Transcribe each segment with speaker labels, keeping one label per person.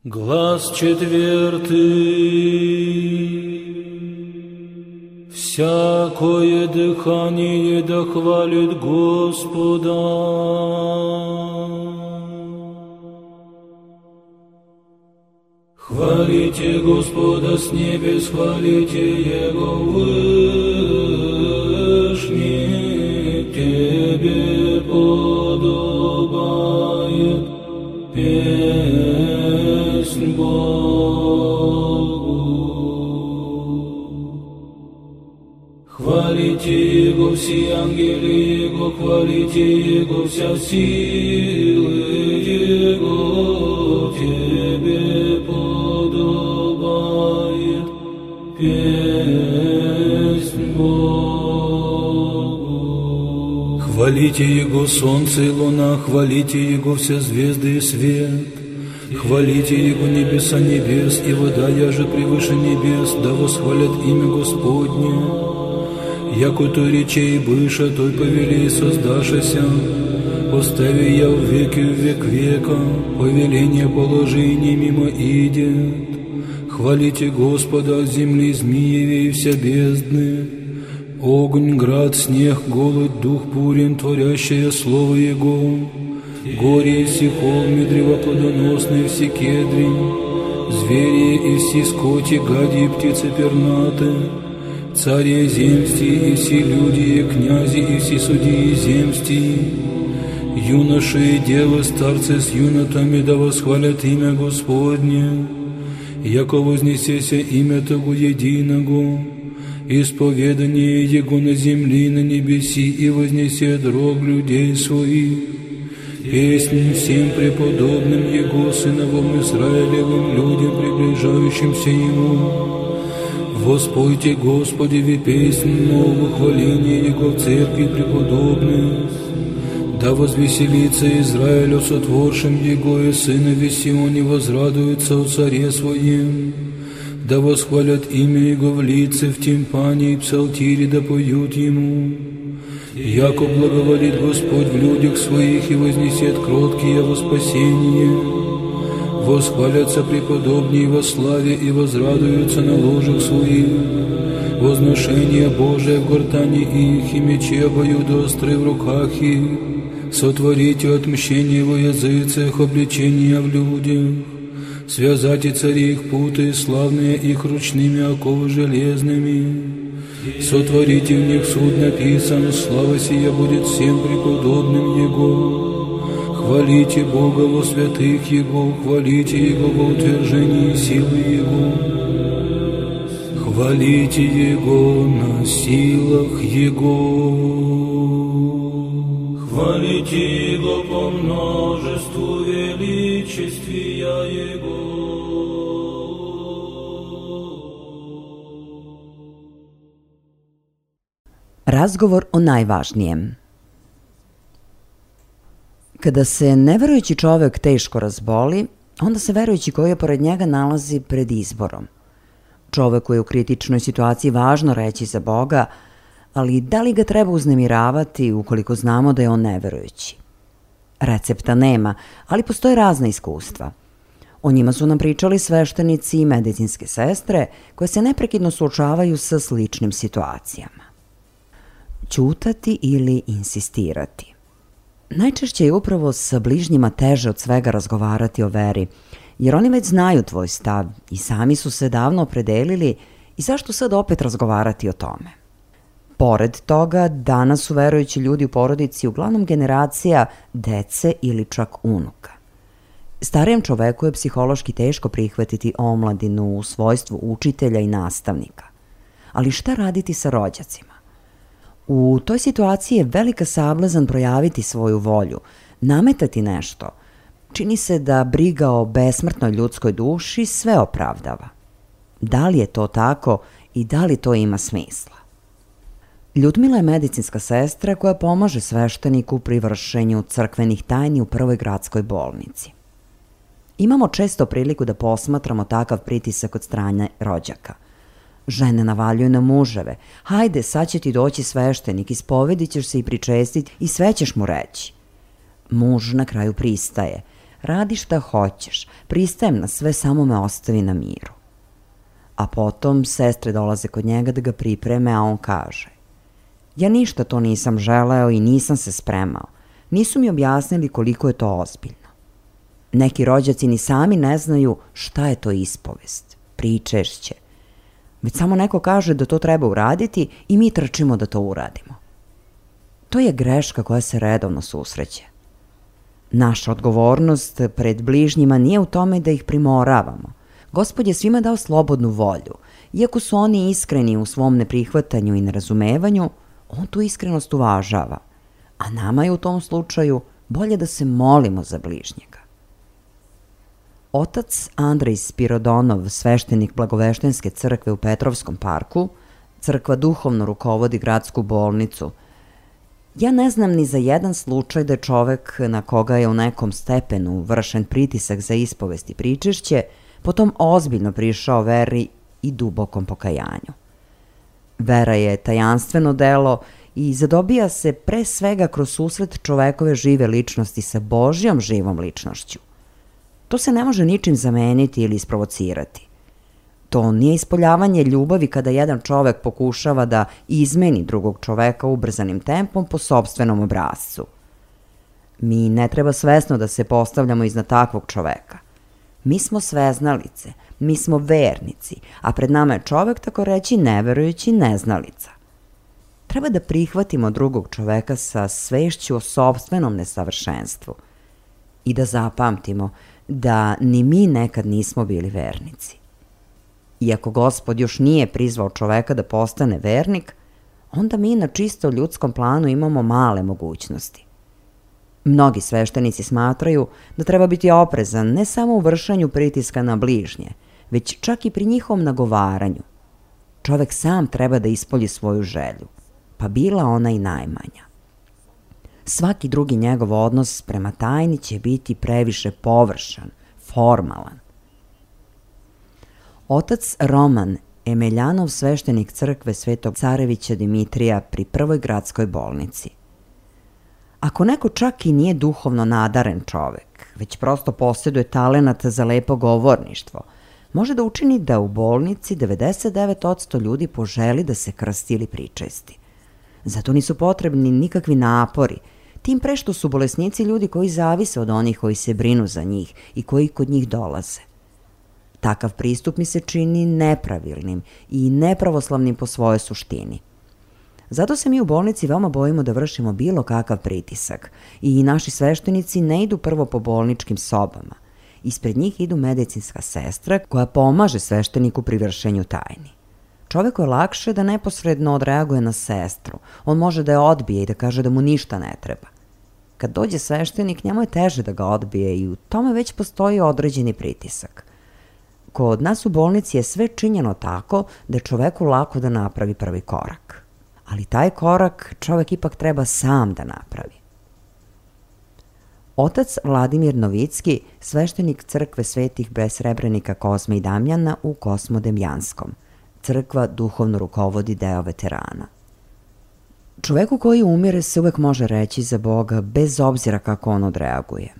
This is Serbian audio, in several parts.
Speaker 1: Глаз четвертый. Всякое дыхание да хвалит Господа. Хвалите Господа с небес, хвалите Его вышний, Тебе подобает песнь Богу. Хвалите Его все ангелы Его, хвалите Его вся силы Его, Тебе подобает песнь Богу. Хвалите Его солнце и луна, хвалите Его все звезды и свет. Хвалите Его небеса небес, и вода яже превыше небес, да восхвалят имя Господне. Яко той речей быша, той повели создашася, постави я в веки в век века, повеление положи не мимо идет. Хвалите Господа от земли змеевей вся бездны, огонь, град, снег, голод, дух бурен, творящее слово Его, горе и все холмы, древа плодоносные, все кедри, звери и все скоти, гади и птицы пернаты, цари земсти и все люди, и князи и все судьи земсти, юноши и девы, старцы с юнотами, да восхвалят имя Господне, яко вознесеся имя Того единого, исповедание Его на земли, на небеси, и вознесет рог людей своих, песнь всем преподобным Его, сыновом Израилевым, людям, приближающимся Ему. Воспойте Господи песнь новую, хваление Его в церкви преподобных. Да возвеселится Израиль о сотворшем Его, и сынове Сионе возрадуется о царе своем. Да восхвалят имя Его в лице, в тимпане и псалтире, да поют Ему. Яко благоволит Господь в людях своих и вознесет кроткие во спасение. Восхвалятся преподобнее во славе и возрадуются на ложах своих. Возношение Божие в гортани их, и мечи обоюдоострые в руках их. Сотворите отмщение во языцах, обличение в людях. Связайте цари их путы, славные их ручными оковы железными. Сотворите в них суд написан, слава сия будет всем преподобным Его. Хвалите Бога во святых Его, хвалите Его во утверждении силы Его. Хвалите Его на силах Его. Хвалите Его по множеству величествия Его.
Speaker 2: Razgovor o najvažnijem. Kada se neverujući čovek teško razboli, onda se verujući koji je pored njega nalazi pred izborom. Čoveku je u kritičnoj situaciji važno reći za Boga, ali da li ga treba uznemiravati ukoliko znamo da je on neverujući? Recepta nema, ali postoje razna iskustva. O njima su nam pričali sveštenici i medicinske sestre koje se neprekidno suočavaju sa sličnim situacijama. Ćutati ili insistirati. Najčešće je upravo sa bližnjima teže od svega razgovarati o veri, jer oni već znaju tvoj stav i sami su se davno opredelili i zašto sad opet razgovarati o tome. Pored toga, danas su verujući ljudi u porodici uglavnom generacija dece ili čak unuka. Starijem čoveku je psihološki teško prihvatiti omladinu u svojstvu učitelja i nastavnika. Ali šta raditi sa rođacima? U toj situaciji je velika sablazan projaviti svoju volju, nametati nešto. Čini se da briga o besmrtnoj ljudskoj duši sve opravdava. Da li je to tako i da li to ima smisla? Ljudmila je medicinska sestra koja pomaže svešteniku pri vršenju crkvenih tajni u prvoj gradskoj bolnici. Imamo često priliku da posmatramo takav pritisak od strane rođaka. Žene navaljuju na muževe. Hajde, sad će ti doći sveštenik, ispovedit ćeš se i pričestiti i sve ćeš mu reći. Muž na kraju pristaje. radi šta hoćeš, pristajem na sve, samo me ostavi na miru. A potom sestre dolaze kod njega da ga pripreme, a on kaže: ja ništa to nisam želeo i nisam se spremao. Nisu mi objasnili koliko je to ozbiljno. Neki rođaci ni sami ne znaju šta je to ispovest, pričešće. Već samo neko kaže da to treba uraditi i mi trčimo da to uradimo. To je greška koja se redovno susreće. Naša odgovornost pred bližnjima nije u tome da ih primoravamo. Gospod je svima dao slobodnu volju. Iako su oni iskreni u svom neprihvatanju i nerazumevanju, on tu iskrenost uvažava. A nama je u tom slučaju bolje da se molimo za bližnjega. Otac Andrej Spirodonov, sveštenik Blagoveštenske crkve u Petrovskom parku, crkva duhovno rukovodi gradsku bolnicu. Ja ne znam ni za jedan slučaj da je čovek na koga je u nekom stepenu vršen pritisak za ispovest i pričešće, potom ozbiljno prišao veri i dubokom pokajanju. Vera je tajanstveno delo i zadobija se pre svega kroz susret čovekove žive ličnosti sa Božjom živom ličnošću. To se ne može ničim zameniti ili isprovocirati. To nije ispoljavanje ljubavi kada jedan čovek pokušava da izmeni drugog čoveka ubrzanim tempom po sopstvenom obrascu. Mi ne treba svesno da se postavljamo iznad takvog čoveka. Mi smo sveznalice, mi smo vernici, a pred nama je čovek, tako reći, neverujući neznalica. Treba da prihvatimo drugog čoveka sa svešću o sopstvenom nesavršenstvu i da zapamtimo da ni mi nekad nismo bili vernici. Iako Gospod još nije prizvao čoveka da postane vernik, onda mi na čisto ljudskom planu imamo male mogućnosti. Mnogi sveštenici smatraju da treba biti oprezan ne samo u vršenju pritiska na bližnje, već čak i pri njihovom nagovaranju. Čovek sam treba da ispolji svoju želju, pa bila ona i najmanja. Svaki drugi njegov odnos prema tajni će biti previše površan, formalan. Otac Roman Emeljanov, sveštenik crkve Svetog Carevića Dimitrija pri Prvoj gradskoj bolnici. Ako neko čak i nije duhovno nadaren čovek, već prosto posjeduje talenat za lepo govorništvo, može da učini da u bolnici 99% ljudi poželi da se krsti ili pričesti. Zato nisu potrebni nikakvi napori, tim pre što su bolesnici ljudi koji zavise od onih koji se brinu za njih i koji kod njih dolaze. Takav pristup mi se čini nepravilnim i nepravoslavnim po svojoj suštini. Zato se mi u bolnici veoma bojimo da vršimo bilo kakav pritisak i naši sveštenici ne idu prvo po bolničkim sobama. Ispred njih idu medicinska sestra koja pomaže svešteniku pri vršenju tajni. Čoveku je lakše da neposredno odreaguje na sestru. On može da je odbije i da kaže da mu ništa ne treba. Kad dođe sveštenik, njemu je teže da ga odbije i u tome već postoji određeni pritisak. Kod nas u bolnici je sve činjeno tako da je čoveku lako da napravi prvi korak. Ali taj korak čovek ipak treba sam da napravi. Otac Vladimir Novicki, sveštenik crkve svetih besrebrenika Kozme i Damjana u Kosmodemjanskom. Crkva duhovno rukovodi deo veterana. Čoveku koji umire se uvek može reći za Boga bez obzira kako on odreaguje.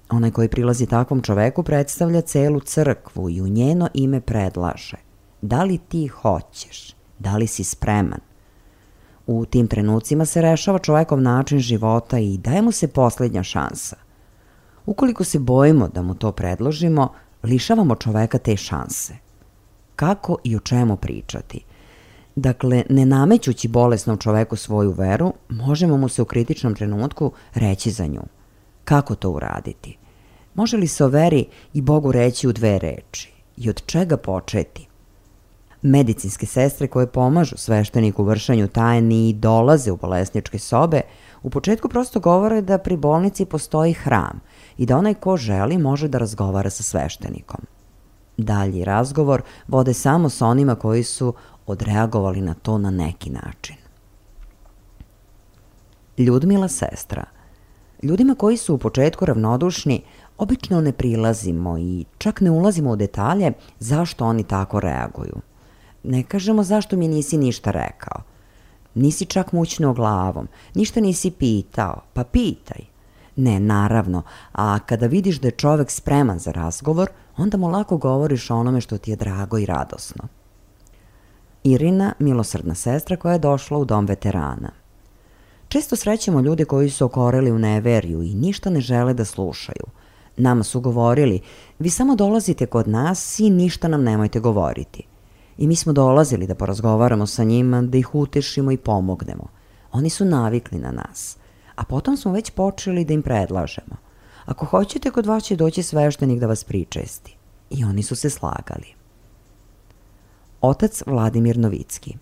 Speaker 2: Onaj koji prilazi takvom čoveku predstavlja celu crkvu i u njeno ime predlaže: da li ti hoćeš, da li si spreman? U tim trenucima se rešava čovekov način života i daje mu se posljednja šansa. Ukoliko se bojimo da mu to predložimo, lišavamo čoveka te šanse. Kako i o čemu pričati? Dakle, ne namećući bolesnom čoveku svoju veru, možemo mu se u kritičnom trenutku reći za nju. Kako to uraditi? Može li se o veri i Bogu reći u 2 reči? I od čega početi? Medicinske sestre koje pomažu svešteniku u vršenju tajni i dolaze u bolesničke sobe, u početku prosto govore da pri bolnici postoji hram i da onaj ko želi može da razgovara sa sveštenikom. Dalji razgovor vode samo sa onima koji su odreagovali na to na neki način. Ljudmila sestra. Ljudima koji su u početku ravnodušni obično ne prilazimo i čak ne ulazimo u detalje zašto oni tako reaguju. Ne kažemo zašto mi nisi ništa rekao. Nisi čak mućnuo glavom, ništa nisi pitao, pa pitaj. Ne, naravno, a kada vidiš da je čovek spreman za razgovor, onda mu lako govoriš o onome što ti je drago i radosno. Irina, milosrdna sestra koja je došla u dom veterana. Često srećemo ljude koji su okoreli u neverju i ništa ne žele da slušaju. Nama su govorili, vi samo dolazite kod nas i ništa nam nemojte govoriti. I mi smo dolazili da porazgovaramo sa njima, da ih utešimo i pomognemo. Oni su navikli na nas. A potom smo već počeli da im predlažemo. Ako hoćete, kod vas će doći sveštenik da vas pričesti. I oni su se slagali. Otac Vladimir Novicki.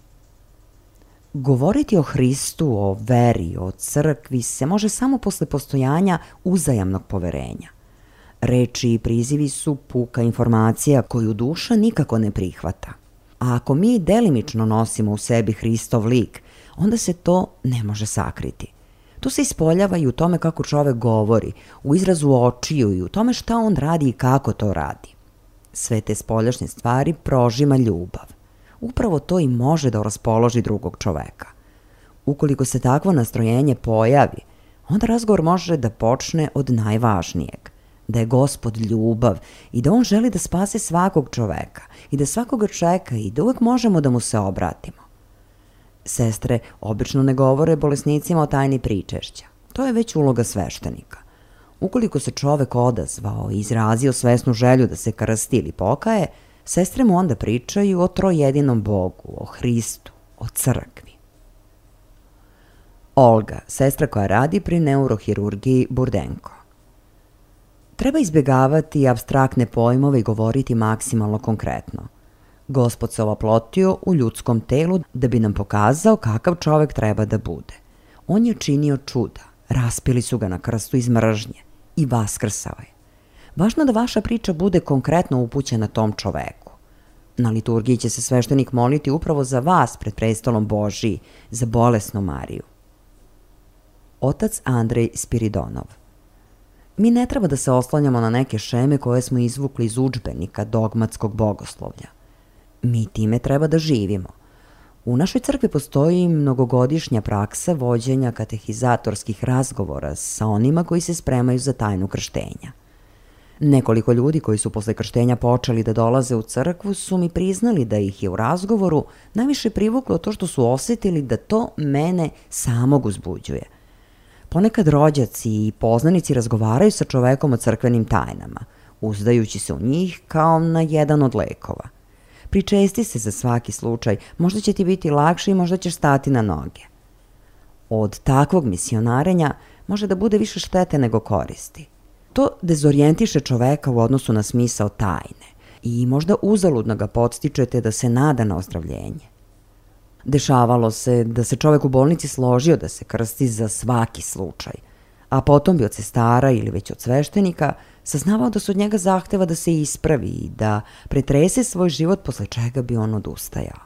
Speaker 2: Govoriti o Hristu, o veri, o crkvi se može samo posle postojanja uzajamnog poverenja. Reči i prizivi su puka informacija koju duša nikako ne prihvata. A ako mi delimično nosimo u sebi Hristov lik, onda se to ne može sakriti. To se ispoljava i u tome kako čovek govori, u izrazu očiju i u tome šta on radi i kako to radi. Sve te spoljašnje stvari prožima ljubav. Upravo to i može da raspoloži drugog čoveka. Ukoliko se takvo nastrojenje pojavi, onda razgovor može da počne od najvažnijeg, da je Gospod ljubav i da on želi da spase svakog čoveka i da svakoga čeka i da uvek možemo da mu se obratimo. Sestre obično ne govore bolesnicima o tajni pričešća. To je već uloga sveštenika. Ukoliko se čovek odazvao i izrazio svesnu želju da se krsti ili pokaje, sestre mu onda pričaju o trojedinom Bogu, o Hristu, o crkvi. Olga, sestra koja radi pri neurohirurgiji Burdenko. Treba izbjegavati apstraktne pojmove i govoriti maksimalno konkretno. Gospod se oplotio u ljudskom telu da bi nam pokazao kakav čovek treba da bude. On je činio čuda, raspili su ga na krstu iz mržnje i vaskrsao je. Važno da vaša priča bude konkretno upućena tom čoveku. Na liturgiji će se sveštenik moliti upravo za vas pred prestolom Božiji, za bolesnu Mariju. Otac Andrej Spiridonov. Mi ne treba da se oslanjamo na neke šeme koje smo izvukli iz udžbenika dogmatskog bogoslovlja. Mi time treba da živimo. U našoj crkvi postoji mnogogodišnja praksa vođenja katehizatorskih razgovora sa onima koji se spremaju za tajnu krštenja. Nekoliko ljudi koji su posle krštenja počeli da dolaze u crkvu su mi priznali da ih je u razgovoru najviše privuklo to što su osetili da to mene samog uzbuđuje. Ponekad rođaci i poznanici razgovaraju sa čovekom o crkvenim tajnama, uzdajući se u njih kao na jedan od lekova. Pričesti se za svaki slučaj, možda će ti biti lakše i možda ćeš stati na noge. Od takvog misionarenja može da bude više štete nego koristi. To dezorijentiše čoveka u odnosu na smisao tajne i možda uzaludno ga podstičete da se nada na ozdravljenje. Dešavalo se da se čovek u bolnici složio da se krsti za svaki slučaj, a potom bi od sestara ili već od sveštenika saznavao da se od njega zahteva da se ispravi i da pretrese svoj život, posle čega bi on odustajao.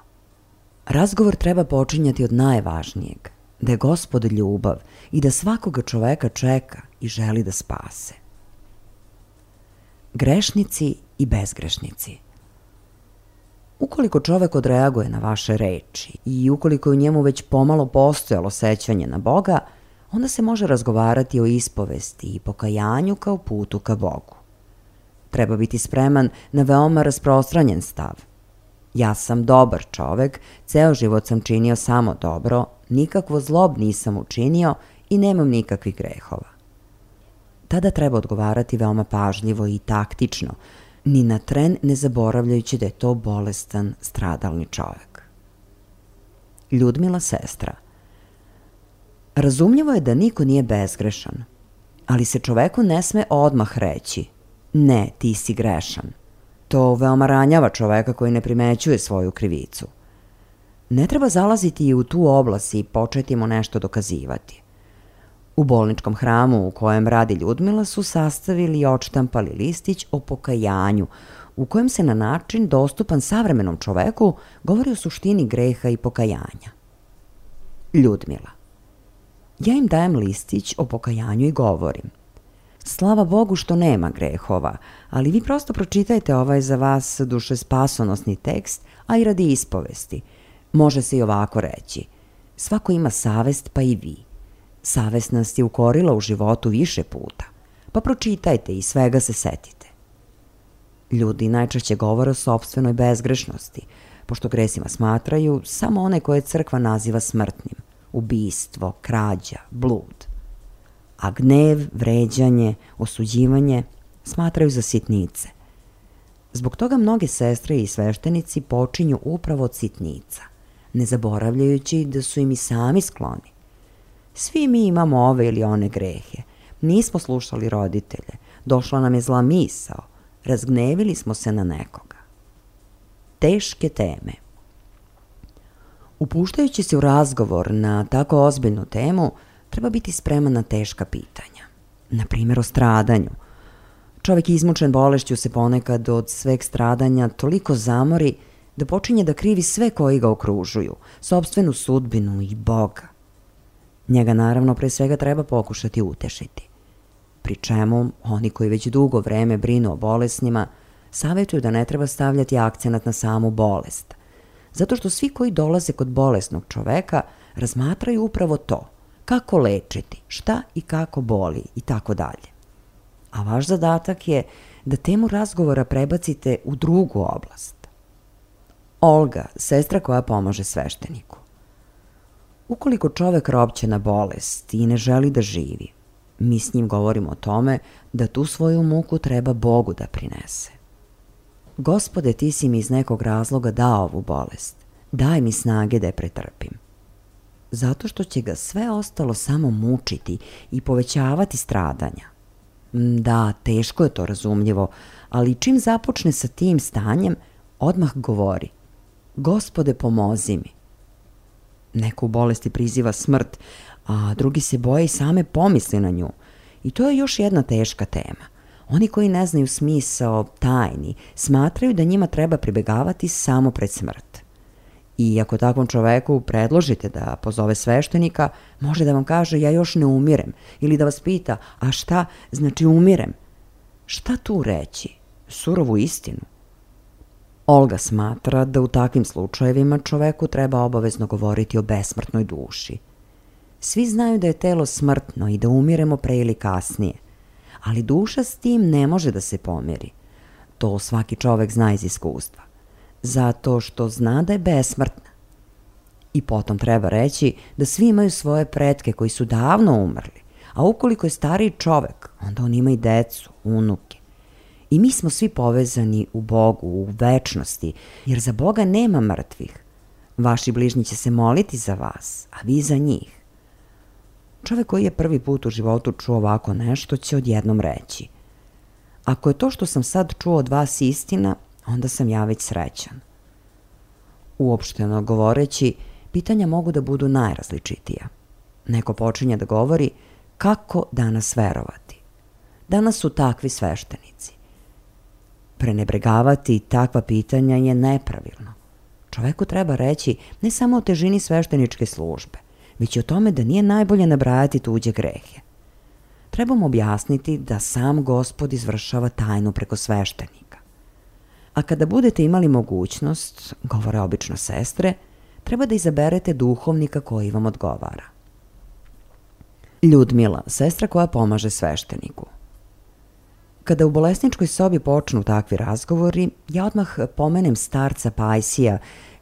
Speaker 2: Razgovor treba počinjati od najvažnijeg, da je Gospod ljubav i da svakoga čoveka čeka i želi da spase. Grešnici i bezgrešnici. Ukoliko čovek odreaguje na vaše reči i ukoliko je u njemu već pomalo postojalo sećanje na Boga, onda se može razgovarati o ispovesti i pokajanju kao putu ka Bogu. Treba biti spreman na veoma rasprostranjen stav. Ja sam dobar čovek, ceo život sam činio samo dobro, nikakvo zlo nisam učinio i nemam nikakvih grehova. Tada treba odgovarati veoma pažljivo i taktično, ni na tren ne zaboravljajući da je to bolestan, stradalni čovek. Ljudmila, sestra. Razumljivo je da niko nije bezgrešan, ali se čoveku ne sme odmah reći: ne, ti si grešan. To veoma ranjava čoveka koji ne primećuje svoju krivicu. Ne treba zalaziti i u tu oblast i početi mu nešto dokazivati. U bolničkom hramu u kojem radi Ljudmila su sastavili i odštampali listić o pokajanju, u kojem se na način dostupan savremenom čoveku govori o suštini greha i pokajanja. Ljudmila. Ja im dajem listić o pokajanju i govorim: slava Bogu što nema grehova, ali vi prosto pročitajte ovaj za vas duše spasonosni tekst, a i radi ispovesti. Može se i ovako reći: svako ima savest, pa i vi. Savest nas je ukorila u životu više puta, pa pročitajte i svega se setite. Ljudi najčešće govore o sopstvenoj bezgrešnosti, pošto gresima smatraju samo one koje crkva naziva smrtnim, ubistvo, krađa, blud. A gnev, vređanje, osuđivanje smatraju za sitnice. Zbog toga mnoge sestre i sveštenici počinju upravo od sitnica, ne zaboravljajući da su im i sami skloni. Svi mi imamo ove ili one grehe, nismo slušali roditelje, došla nam je zla misao, razgnevili smo se na nekoga. Teške teme. Upuštajući se u razgovor na tako ozbiljnu temu, treba biti spreman na teška pitanja. Na primjer o stradanju. Čovjek izmučen bolešću se ponekad od sveg stradanja toliko zamori da počinje da krivi sve koji ga okružuju, sopstvenu sudbinu i Boga. Njega naravno pre svega treba pokušati utešiti. Pri čemu oni koji već dugo vreme brinu o bolesnima savjetuju da ne treba stavljati akcenat na samu bolest, zato što svi koji dolaze kod bolesnog čoveka razmatraju upravo to, kako lečiti, šta i kako boli i tako dalje. A vaš zadatak je da temu razgovora prebacite u drugu oblast. Olga, sestra koja pomaže svešteniku. Ukoliko čovek ropće na bolest i ne želi da živi, mi s njim govorimo o tome da tu svoju muku treba Bogu da prinese. Gospode, ti si mi iz nekog razloga dao ovu bolest. Daj mi snage da je pretrpim. Zato što će ga sve ostalo samo mučiti i povećavati stradanja. Da, teško je to razumljivo, ali čim započne sa tim stanjem, odmah govori: Gospode, pomozi mi. Neko u bolesti priziva smrt, a drugi se boje i same pomisli na nju. I to je još jedna teška tema. Oni koji ne znaju smisao tajni smatraju da njima treba pribegavati samo pred smrt. I ako takvom čoveku predložite da pozove sveštenika, može da vam kaže: ja još ne umirem, ili da vas pita: a šta znači umirem? Šta tu reći? Surovu istinu? Olga smatra da u takvim slučajevima čoveku treba obavezno govoriti o besmrtnoj duši. Svi znaju da je telo smrtno i da umiremo pre ili kasnije, ali duša s tim ne može da se pomiri. To svaki čovek zna iz iskustva, zato što zna da je besmrtna. I potom treba reći da svi imaju svoje pretke koji su davno umrli, a ukoliko je stariji čovek, onda on ima i decu, unuke. I mi smo svi povezani u Bogu, u večnosti, jer za Boga nema mrtvih. Vaši bližnji će se moliti za vas, a vi za njih. Čovek koji je prvi put u životu čuo ovako nešto će odjednom reći: ako je to što sam sad čuo od vas istina, onda sam ja već srećan. Uopšteno govoreći, pitanja mogu da budu najrazličitija. Neko počinje da govori: kako danas verovati? Danas su takvi sveštenici. Prenebregavati takva pitanja je nepravilno. Čoveku treba reći ne samo o težini svešteničke službe, već i o tome da nije najbolje nabrajati tuđe grehe. Treba mu objasniti da sam Gospod izvršava tajnu preko sveštenika. A kada budete imali mogućnost, govore obično sestre, treba da izaberete duhovnika koji vam odgovara. Ljudmila, sestra koja pomaže svešteniku. Kada u bolesničkoj sobi počnu takvi razgovori, ja odmah pomenem starca Pajsija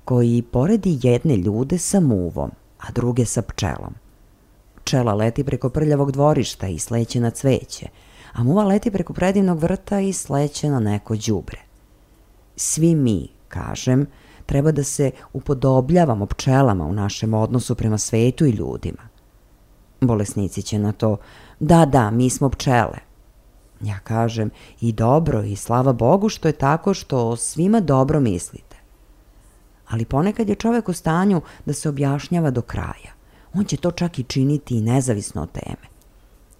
Speaker 2: koji poredi jedne ljude sa muvom, a druge sa pčelom. Pčela leti preko prljavog dvorišta i sleće na cveće, a muva leti preko predivnog vrta i sleće na neko đubre. Svi mi, kažem, treba da se upodobljavamo pčelama u našem odnosu prema svetu i ljudima. Bolesnici će na to: da, mi smo pčele. Ja kažem: i dobro, i slava Bogu što je tako, što svima dobro mislite. Ali ponekad je čovek u stanju da se objašnjava do kraja. On će to čak i činiti i nezavisno od teme.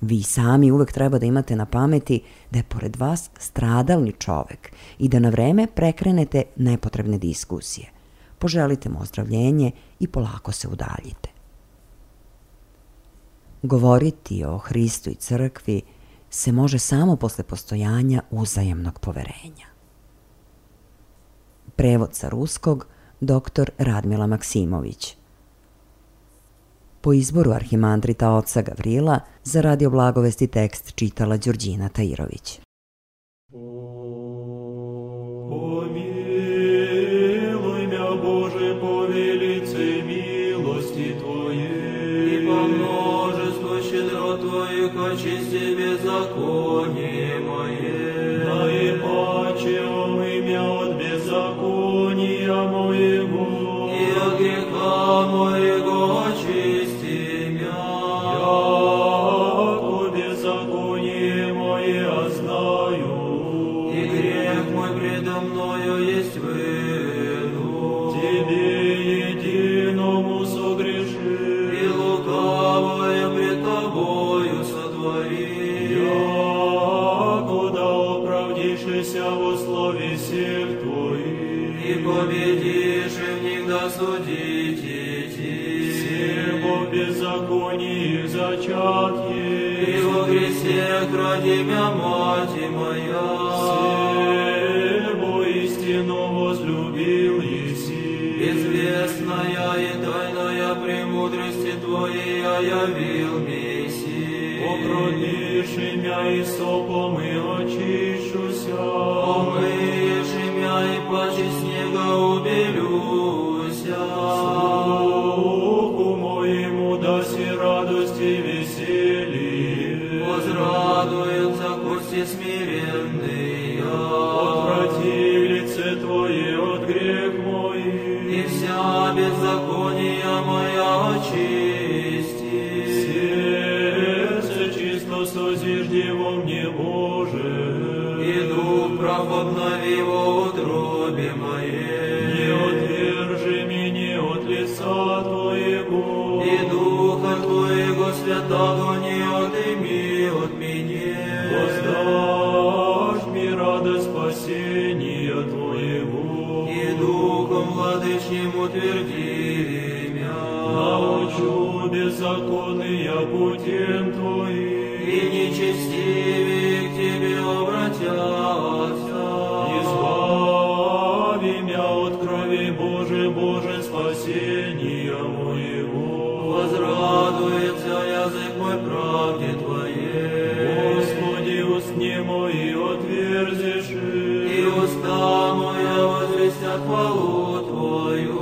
Speaker 2: Vi sami uvek treba da imate na pameti da je pored vas stradalni čovek i da na vreme prekrenete nepotrebne diskusije. Poželite mu ozdravljenje i polako se udaljite. Govoriti o Hristu i crkvi se može samo posle postojanja uzajamnog poverenja. Prevod sa ruskog, dr. Radmila Maksimović. Po izboru arhimandrita oca Gavrila, za Radio Blagovesti tekst čitala Đurđina Tajirović.
Speaker 3: Помилуй мя, Боже, по велице милости Твоей, и по множеству щедрот Твоих очисти беззаконие мое. Наипаче омый мя от беззакония моего, и от греха моего очисти мя. Яко беззаконие мое знаю, и грех мой предо мною есть выну. Тебе единому согрешил, и лукавое пред Тобою сотворил. Якуда оправдишься во слове всех Твоих, и победишь в них досудить идти. Всего беззаконие зачат есть, и во грехах ради мя мати моя. Всего истину возлюбил еси, известная и тайная премудрости Твоей явил Месси. Покропишь мя и сопом и очищуся, омыешь мя и паче снега убелюся. Слуху моему даси радости веселье, возрадуются кости смиренные. Отврати лице Твое от грех мой, и вся беззакония моя очисти. Сердце чисто созижди во мне, Боже, и дух прав обнови во утробе моей. Не отвержи меня от лица Твоего, и духа Твоего святого не отыми от меня. Воздашь мне радость спасения Твоего, и духом владычним утверди мя. Научу беззаконные путем Твоим, и нечестивые к Тебе обратятся. Избави мя от крови Божией, Боже, спасения моего. Возрадуется язык мой правде Твоей. Господи, устни мои отверзишь, и уста моя возвестят хвалу Твою.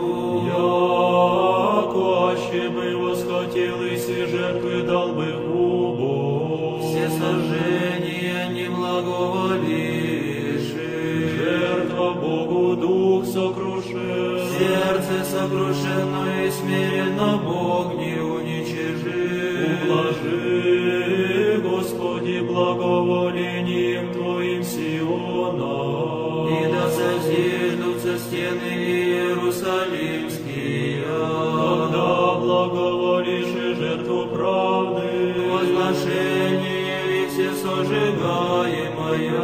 Speaker 3: Яко аще бы восхотел и все жертвы дал бы Богу, все сожжения не благоволишь. Жертва Богу дух сокрушен, сердце сокрушено и смиренно Бог не уничижит. Ублажи, Господи, благоволением Твоим Сиона, и да созиждутся стены Иерусалимские. Когда благоволишь и жертву правды, возношение и все сожигаемое,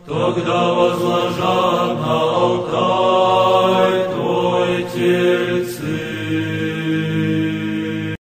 Speaker 3: тогда возложат на